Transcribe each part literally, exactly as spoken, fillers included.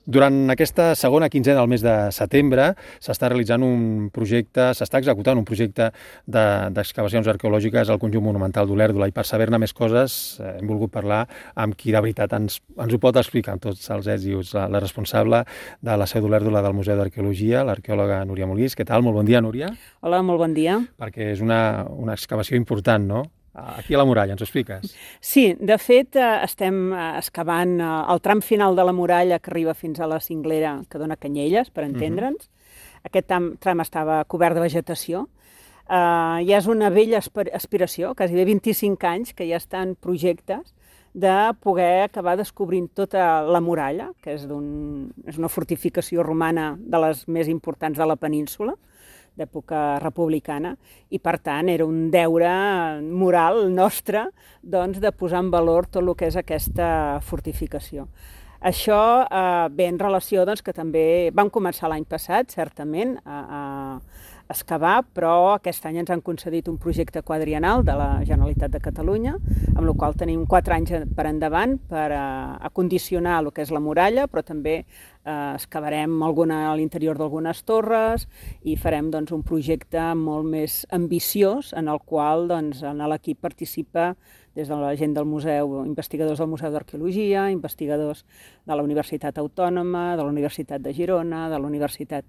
Durant aquesta segona quinzena del mes de setembre s'està realitzant un projecte, s'està executant un projecte d'excavacions arqueològiques al conjunt monumental d'Olèrdola, i per saber-ne més coses hem volgut parlar amb qui de veritat ens, ens ho pot explicar amb tots els ets i uts, la, la responsable de la seu d'Olèrdola del Museu d'Arqueologia, l'arqueòloga Núria Molís. Què tal? Molt bon dia, Núria. Hola, molt bon dia. Perquè és una, una excavació important, no? Aquí a la muralla, ens ho expliques? Sí, de fet estem excavant el tram final de la muralla que arriba fins a la cinglera que dona Canyelles, per entendre'ns. Uh-huh. Aquest tram, tram estava cobert de vegetació. Uh, ja és una vella aspiració, quasi vint-i-cinc anys, que ja estan projectes de poder acabar descobrint tota la muralla, que és, d'un, és una fortificació romana de les més importants de la península, d'època republicana, i per tant era un deure moral nostre doncs, de posar en valor tot el que és aquesta fortificació. Això eh, ve en relació doncs, que també vam començar l'any passat, certament, a, a excavar, però aquest any ens han concedit un projecte quadriennal de la Generalitat de Catalunya, amb el qual tenim quatre anys per endavant per a, acondicionar el que és la muralla, però també eh, excavarem alguna, a l'interior d'algunes torres i farem doncs, un projecte molt més ambiciós en el qual doncs, en l'equip participa des de la gent del museu, investigadors del Museu d'Arqueologia, investigadors de la Universitat Autònoma, de la Universitat de Girona, de la Universitat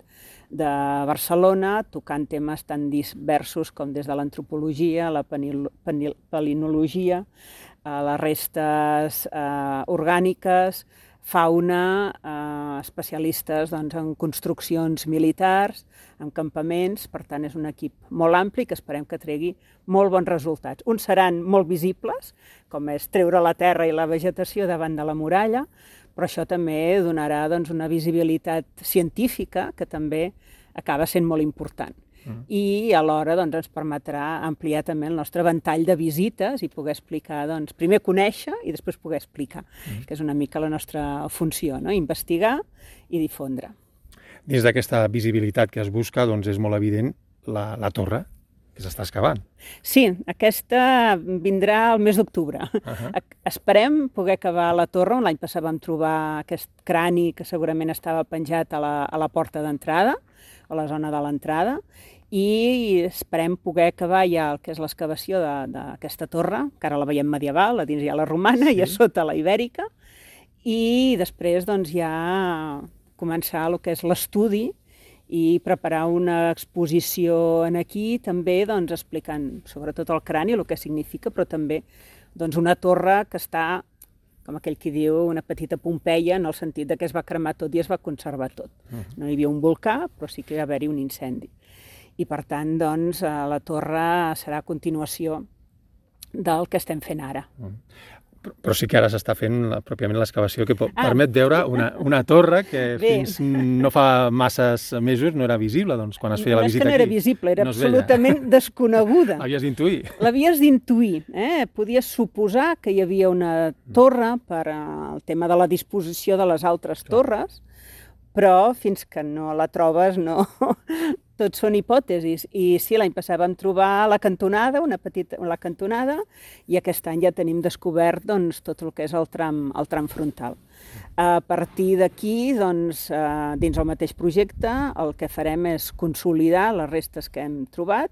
de Barcelona, tocant temes tan diversos com des de l'antropologia, la palinologia, les restes eh, orgàniques, fauna, eh, especialistes doncs, en construccions militars, en campaments. Per tant, és un equip molt ampli que esperem que tregui molt bons resultats. Uns seran molt visibles, com és treure la terra i la vegetació davant de la muralla, però això també donarà doncs, una visibilitat científica que també acaba sent molt important. Mm. I alhora doncs, ens permetrà ampliar també el nostre ventall de visites i poder explicar, doncs, primer conèixer i després poder explicar, mm. que és una mica la nostra funció, no? Investigar i difondre. Dins d'aquesta visibilitat que es busca, doncs és molt evident la, la torre que s'està excavant. Sí, aquesta vindrà el mes d'octubre. Uh-huh. Esperem poder acabar la torre. L'any passat vam trobar aquest crani que segurament estava penjat a la, a la porta d'entrada, a la zona de l'entrada, i esperem poder acabar ja el que és l'excavació d'aquesta torre, que ara la veiem medieval, a dins hi ha la romana, sí. I a sota la ibèrica, i després doncs, ja començar el que és l'estudi i preparar una exposició en aquí, també doncs, explicant sobretot el crani, el que significa, però també doncs, una torre que està, com aquell qui diu, una petita Pompeia, en el sentit de que es va cremar tot i es va conservar tot. Uh-huh. No hi havia un volcà, però sí que va haver-hi un incendi. I per tant, doncs, la torre serà a continuació del que estem fent ara. Uh-huh. Però sí que ara s'està fent pròpiament l'excavació que ah, permet veure una, una torre que bé. Fins no fa masses mesos no era visible, doncs, quan es feia no la visita aquí. No és que no era visible, era no absolutament desconeguda. L'havies d'intuir. L'havies d'intuir. Eh? Podies suposar que hi havia una torre per al tema de la disposició de les altres Clar. torres, però fins que no la trobes no... Tot són hipòtesis. I sí, l'any passat vam trobar la cantonada, una petita la cantonada, i aquest any ja tenim descobert doncs, tot el que és el tram, el tram frontal. A partir d'aquí, doncs, dins el mateix projecte, el que farem és consolidar les restes que hem trobat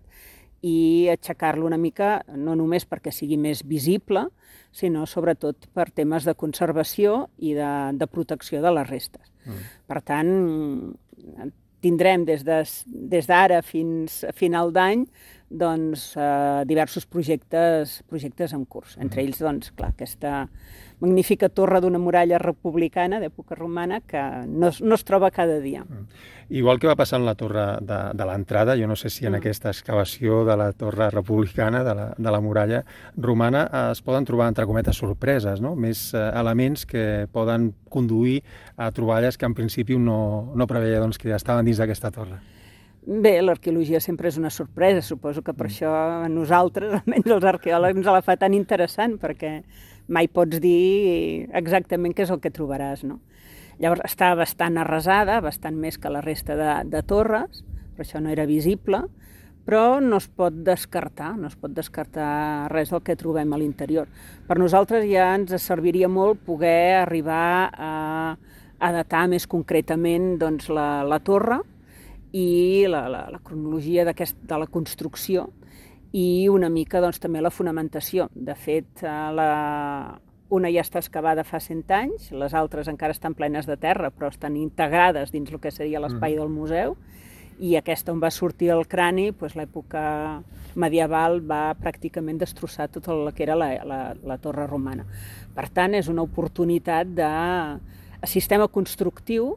i aixecar-lo una mica, no només perquè sigui més visible, sinó sobretot per temes de conservació i de, de protecció de les restes. Mm. Per tant, tindrem des d'ara fins a final d'any doncs, eh, diversos projectes, projectes en curs. Entre ells, doncs, clar, aquesta magnífica torre d'una muralla republicana d'època romana que no, no es troba cada dia. Igual que va passar en la torre de, de l'entrada, jo no sé si en mm. aquesta excavació de la torre republicana, de la, de la muralla romana, es poden trobar, entre cometes, sorpreses, no? Més eh, elements que poden conduir a troballes que en principi no, no preveia doncs, que estaven dins d'aquesta torre. Bé, l'arqueologia sempre és una sorpresa, suposo que per això a nosaltres, almenys els arqueòlegs, ens la fa tan interessant, perquè mai pots dir exactament què és el que trobaràs, no? Llavors, està bastant arrasada, bastant més que la resta de, de torres, per això no era visible, però no es pot descartar, no es pot descartar res del que trobem a l'interior. Per nosaltres ja ens serviria molt poder arribar a a datar més concretament doncs, la, la torre i la, la, la cronologia de la construcció i una mica doncs, també la fonamentació. De fet, la, una ja està excavada fa cent anys, les altres encara estan plenes de terra, però estan integrades dins el que seria l'espai del museu, i aquesta on va sortir el crani, doncs, l'època medieval va pràcticament destrossar tot el que era la, la, la torre romana. Per tant, és una oportunitat de sistema constructiu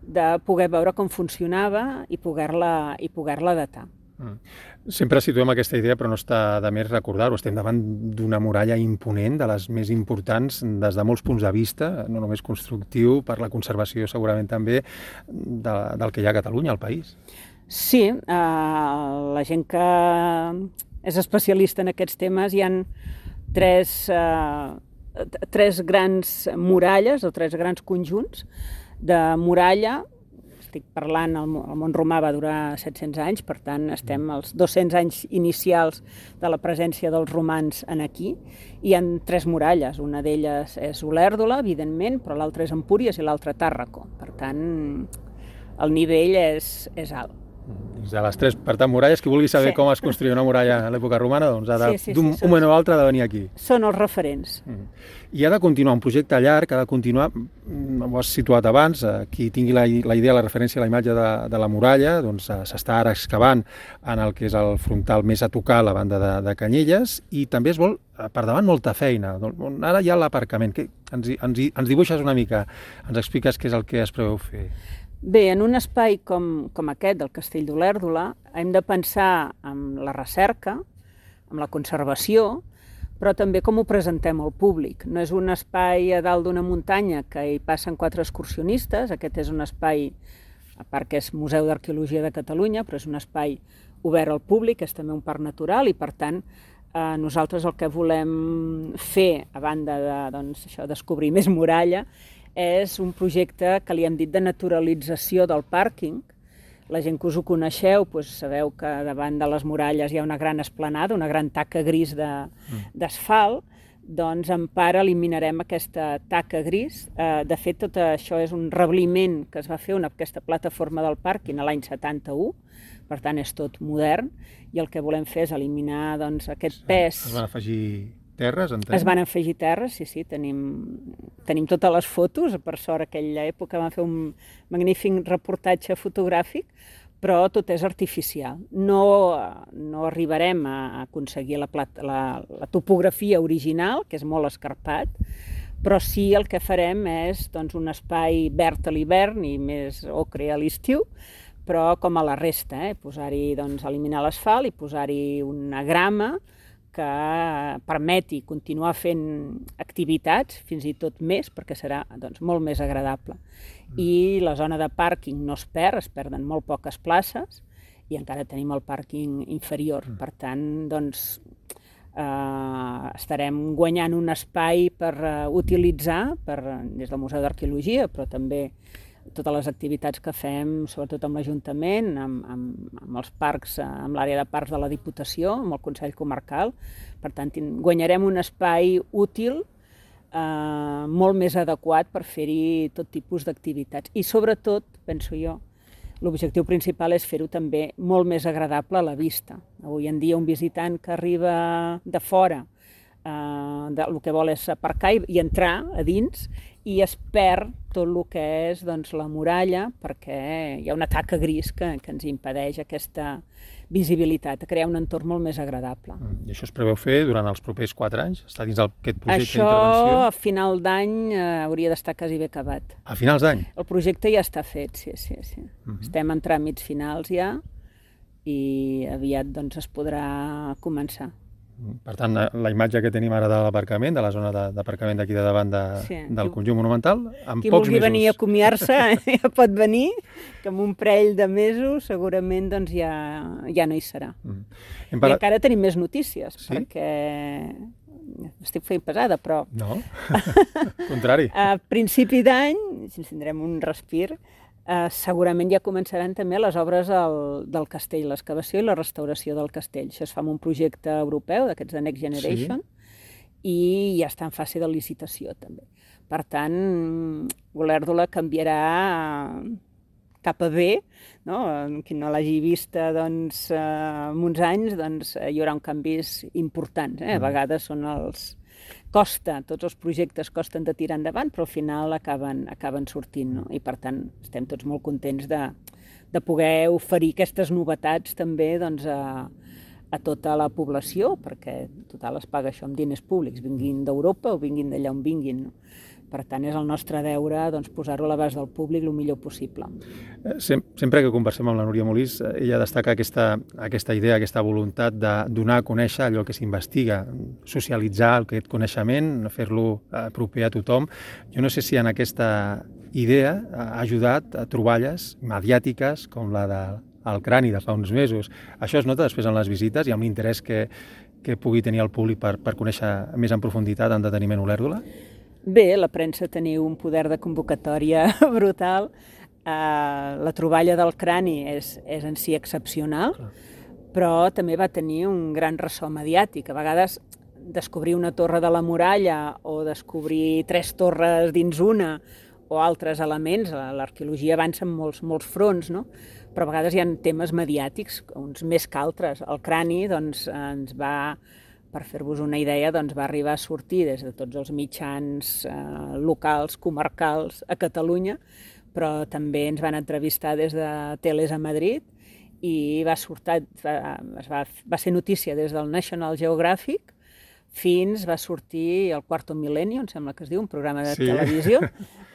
de poder veure com funcionava i poder-la i poder-la datar. Mm. Sempre situem aquesta idea, però no està de més recordar-ho. Estem davant d'una muralla imponent, de les més importants des de molts punts de vista, no només constructiu, per la conservació segurament també, de, del que hi ha a Catalunya, al país. Sí, eh, la gent que és especialista en aquests temes, hi ha tres, eh, tres grans muralles o tres grans conjunts de muralla. Estic parlant, el món romà va durar set-cents anys, per tant estem als dos-cents anys inicials de la presència dels romans en aquí. Hi ha tres muralles, una d'elles és Olèrdola, evidentment, però l'altra és Empúries i l'altra Tàrraco. Per tant, el nivell és, és alt. De les tres, per tant, muralles, qui vulgui saber sí. com es construïa una muralla a l'època romana, doncs ha de, sí, sí, d'un sí, moment o altre ha de venir aquí. Són els referents. Mm. I ha de continuar un projecte llarg, ha de continuar, ho has situat abans, qui tingui la, la idea, la referència a la imatge de, de la muralla, doncs s'està ara excavant en el que és el frontal més a tocar a la banda de, de Canyelles, i també es vol, per davant, molta feina. Ara hi ha l'aparcament. Ens, ens, ens dibuixes una mica, ens expliques què és el que es preveu fer. Bé, en un espai com, com aquest del Castell d'Olèrdola hem de pensar en la recerca, en la conservació, però també com ho presentem al públic. No és un espai a dalt d'una muntanya que hi passen quatre excursionistes, aquest és un espai, a part que és Museu d'Arqueologia de Catalunya, però és un espai obert al públic, és també un parc natural i, per tant, eh, nosaltres el que volem fer, a banda de doncs, això, descobrir més muralla, és un projecte que li hem dit de naturalització del pàrquing. La gent que us ho coneixeu, doncs sabeu que davant de les muralles hi ha una gran esplanada, una gran taca gris d'asfalt, doncs en part eliminarem aquesta taca gris. Eh, de fet, tot això és un rebliment que es va fer, una, aquesta plataforma del pàrquing a l'any setanta-u, per tant és tot modern, i el que volem fer és eliminar doncs, aquest pes. Es van afegir terres, entenc? Es van afegir terres, sí, sí, tenim, tenim totes les fotos, per sort aquella època van fer un magnífic reportatge fotogràfic, però tot és artificial. No, no arribarem a aconseguir la, la, la topografia original, que és molt escarpat, però sí el que farem és doncs, un espai verd a l'hivern i més ocre a l'estiu, però com a la resta, eh? Posar-hi, doncs, eliminar l'asfalt i posar-hi una grama que permeti continuar fent activitats, fins i tot més, perquè serà doncs, molt més agradable. I la zona de pàrquing no es perd, es perden molt poques places i encara tenim el pàrquing inferior. Per tant, doncs, eh, estarem guanyant un espai per uh, utilitzar per, des del Museu d'Arqueologia, però també totes les activitats que fem, sobretot amb l'Ajuntament, amb, amb, amb els parcs, amb l'àrea de parcs de la Diputació, amb el Consell Comarcal. Per tant, guanyarem un espai útil, eh, molt més adequat per fer-hi tot tipus d'activitats. I sobretot, penso jo, l'objectiu principal és fer-ho també molt més agradable a la vista. Avui en dia un visitant que arriba de fora, eh, de, el que vol és aparcar i, i entrar a dins, i es perd tot el que és doncs, la muralla, perquè hi ha una taca gris que, que ens impedeix aquesta visibilitat, a crear un entorn molt més agradable. I això es preveu fer durant els propers quatre anys? Està dins d'aquest projecte d'intervenció? Això a final d'any eh, hauria d'estar quasi bé acabat. A finals d'any? El projecte ja està fet, sí, sí, sí. Uh-huh. Estem en tràmits finals ja i aviat doncs, es podrà començar. Per tant, la imatge que tenim ara de l'aparcament, de la zona d'aparcament d'aquí de davant de, sí, del conjunt monumental, en qui pocs vulgui mesos... venir a comiar-se ja pot venir, que en un parell de mesos segurament doncs, ja, ja no hi serà. Mm. I parlat... encara tenim més notícies, sí? Perquè estic fent pesada, però... No, contrari. A principi d'any, si ens tindrem un respir, Uh, segurament ja començaran també les obres del, del castell, l'excavació i la restauració del castell. Això es fa amb un projecte europeu, d'aquests de Next Generation, sí? I ja està en fase de licitació també. per tant, Olèrdola canviarà cap a bé, no? Qui no l'hagi vista doncs, en uns anys, doncs, hi haurà un canvis importants. Eh? A vegades són els... Costa, tots els projectes costen de tirar endavant, però al final acaben, acaben sortint, no? I per tant estem tots molt contents de, de poder oferir aquestes novetats també doncs, a, a tota la població, perquè total es paga això amb diners públics, vinguin d'Europa o vinguin d'allà on vinguin, no? Per tant, és el nostre deure doncs, posar-ho a l'abast del públic el millor possible. Sempre que conversem amb la Núria Molís, ella destaca aquesta, aquesta idea, aquesta voluntat de donar a conèixer allò que s'investiga, socialitzar aquest coneixement, fer-lo proper a tothom. Jo no sé si en aquesta idea ha ajudat a troballes mediàtiques com la del crani de fa uns mesos. Això es nota després en les visites i amb l'interès que, que pugui tenir el públic per, per conèixer més en profunditat en deteniment Olèrdola? Bé, la premsa teniu un poder de convocatòria brutal. Uh, la troballa del crani és, és en si excepcional, però també va tenir un gran ressò mediàtic. A vegades descobrir una torre de la muralla o descobrir tres torres dins una o altres elements, l'arqueologia avança en molts, molts fronts, no? Però a vegades hi ha temes mediàtics, uns més que altres. El crani doncs, ens va... Per fer-vos una idea, doncs, va arribar a sortir des de tots els mitjans eh, locals, comarcals a Catalunya, però també ens van entrevistar des de Teles a Madrid i va, sortir, va, va, va ser notícia des del National Geographic fins va sortir el Quarto Milenio, em sembla que es diu, un programa de sí. televisió,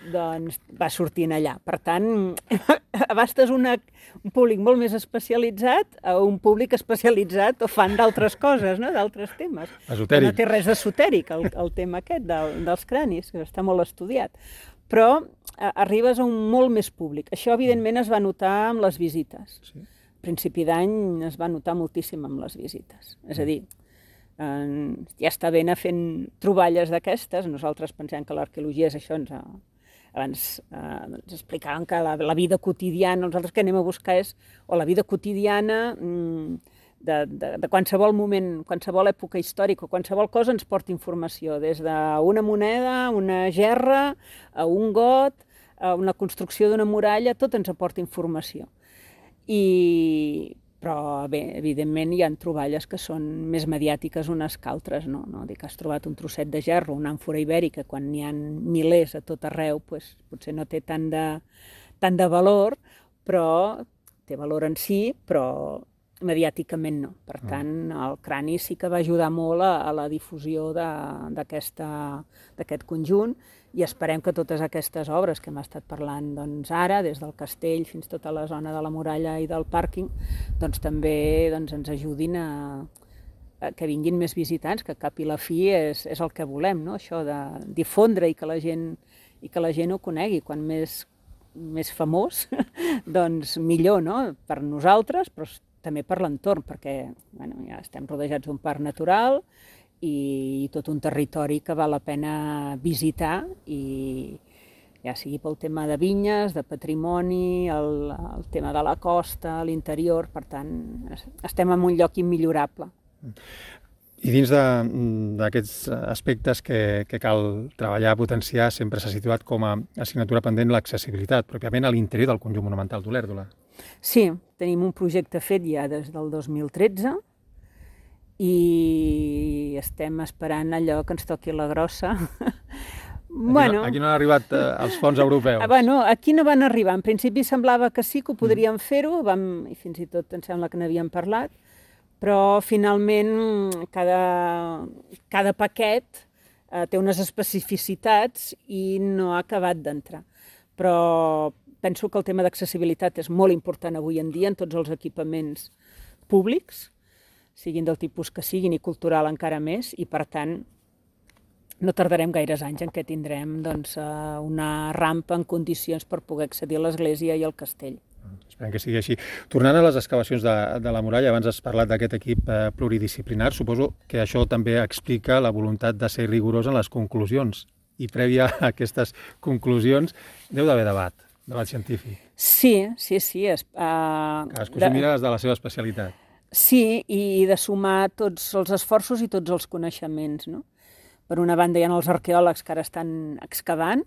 doncs va sortint allà. Per tant, abastes una, un públic molt més especialitzat a un públic especialitzat o fan d'altres coses, no? D'altres temes. Esotèric. No té res d'esotèric, el, el tema aquest del, dels cranis, que està molt estudiat. Però a, arribes a un molt més públic. Això, evidentment, es va notar amb les visites. Sí. A principi d'any es va notar moltíssim amb les visites. És a dir, eh, ja està bé anar fent troballes d'aquestes. Nosaltres pensem que l'arqueologia és això. Ens, abans eh, ens explicaven que la, la vida quotidiana, nosaltres que anem a buscar és o la vida quotidiana mm, de, de, de qualsevol moment, qualsevol època històrica, qualsevol cosa ens porta informació, des d'una moneda, una gerra, a un got, a una construcció d'una muralla, tot ens aporta informació. I... Però, bé, evidentment hi ha troballes que són més mediàtiques unes que altres, no? No? Dic que has trobat un trosset de gerro, una àmfora ibèrica, quan n'hi ha milers a tot arreu, pues, potser no té tant de, tant de valor, però té valor en si, però mediàticament no. Per tant, el crani sí que va ajudar molt a, a la difusió d'aquest conjunt, i esperem que totes aquestes obres que hem estat parlant doncs, ara, des del castell fins a tota la zona de la muralla i del pàrquing, doncs, també doncs, ens ajudin a, a que vinguin més visitants, que cap i la fi és, és el que volem, no? Això de difondre i que la gent, i que la gent ho conegui. Quan més, més famós, doncs millor, no? Per nosaltres, però també per l'entorn, perquè bueno, ja estem rodejats d'un parc natural i tot un territori que val la pena visitar, i ja sigui pel tema de vinyes, de patrimoni, el, el tema de la costa, l'interior, per tant, estem en un lloc immillorable. I dins d'aquests aspectes que, que cal treballar, potenciar, sempre s'ha situat com a assignatura pendent l'accessibilitat, pròpiament a l'interior del conjunt monumental d'Olèrdola. Sí, tenim un projecte fet ja des del dos mil tretze, i estem esperant allò que ens toqui la grossa. Aquí, bueno, no, aquí no han arribat eh, els fons europeus. Bueno, aquí no van arribar. En principi semblava que sí, que ho podríem mm. fer-ho, i fins i tot em sembla que n'havíem parlat, però finalment cada, cada paquet eh, té unes especificitats i no ha acabat d'entrar. Però penso que el tema d'accessibilitat és molt important avui en dia en tots els equipaments públics, siguin del tipus que siguin i cultural encara més, i per tant no tardarem gaires anys en què tindrem doncs, una rampa en condicions per poder accedir a l'església i al castell. Esperem que sigui així. Tornant a les excavacions de, de la muralla, abans has parlat d'aquest equip eh, pluridisciplinar, suposo que això també explica la voluntat de ser rigorós en les conclusions, i prèvia a aquestes conclusions deu d'haver debat, debat científic. Sí, sí, sí. Es, uh, Cadascú s'ho mira des de la seva especialitat. Sí, i de sumar tots els esforços i tots els coneixements, no? Per una banda hi ha els arqueòlegs que ara estan excavant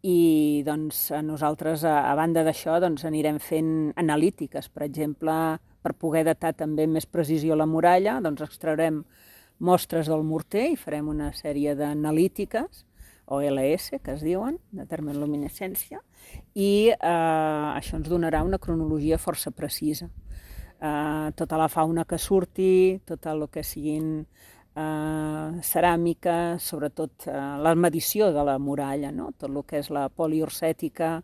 i doncs, nosaltres, a, a banda d'això, doncs, anirem fent analítiques. Per exemple, per poder datar també amb més precisió la muralla, doncs extraurem mostres del morter i farem una sèrie d'analítiques, o L S, que es diuen, de termoluminescència, i eh, això ens donarà una cronologia força precisa. Eh, tota la fauna que surti, tot el que siguin eh, ceràmica, sobretot eh, la medició de la muralla, no? Tot el que és la poliorcètica,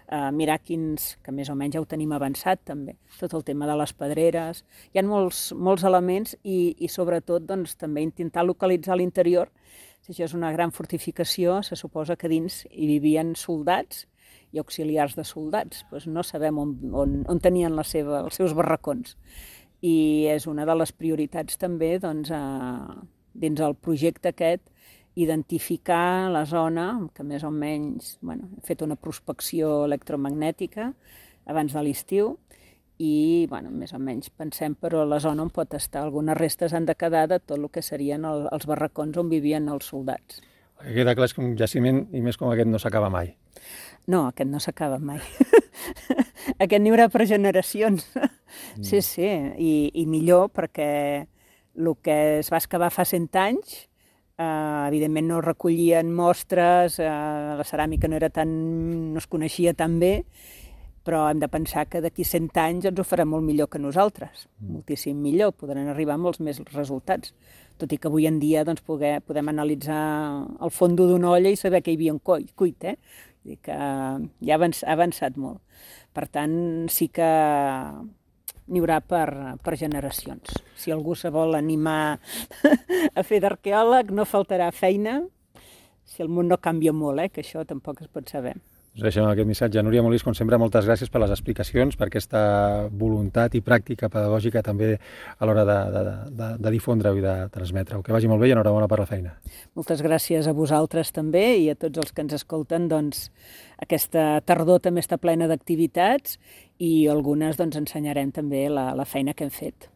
eh, mirar quins, que més o menys ja ho tenim avançat també, tot el tema de les pedreres. Hi ha molts, molts elements i, i sobretot doncs, també intentar localitzar l'interior. Si això és una gran fortificació, se suposa que dins hi vivien soldats i auxiliars de soldats. Pues no sabem on, on, on tenien la seva, els seus barracons. I és una de les prioritats també doncs, a, dins el projecte aquest, identificar la zona, que més o menys bueno, hem fet una prospecció electromagnètica abans de l'estiu, i bueno, més o menys pensem però la zona on pot estar. Algunes restes han de quedar de tot el que serien el, els barracons on vivien els soldats. Queda clar que un jaciment, i més com aquest, no s'acaba mai. No, aquest no s'acaba mai. Aquest n'hi haurà per generacions. Mm. Sí, sí, i, i millor perquè el que es va excavar fa cent anys, eh, evidentment no recollien mostres, eh, la ceràmica no era tan, no es coneixia tan bé, però hem de pensar que d'aquí cent anys ens ho farà molt millor que nosaltres, mm. moltíssim millor, podran arribar molts més resultats, tot i que avui en dia doncs, poder, podem analitzar el fons d'una olla i saber que hi havia un cuit, eh? Vull dir que ja ha avançat molt. Per tant, sí que n'hi haurà per, per generacions. Si algú se vol animar a fer d'arqueòleg, no faltarà feina, si el món no canvia molt, eh? Que això tampoc es pot saber. Us deixem aquest missatge. Núria Molís, com sempre, moltes gràcies per les explicacions, per aquesta voluntat i pràctica pedagògica també a l'hora de, de, de, de difondre-ho i de transmetre-ho. Que vagi molt bé i enhorabona per la feina. Moltes gràcies a vosaltres també i a tots els que ens escolten. Doncs, aquesta tardor també està plena d'activitats i algunes doncs, ensenyarem també la, la feina que hem fet.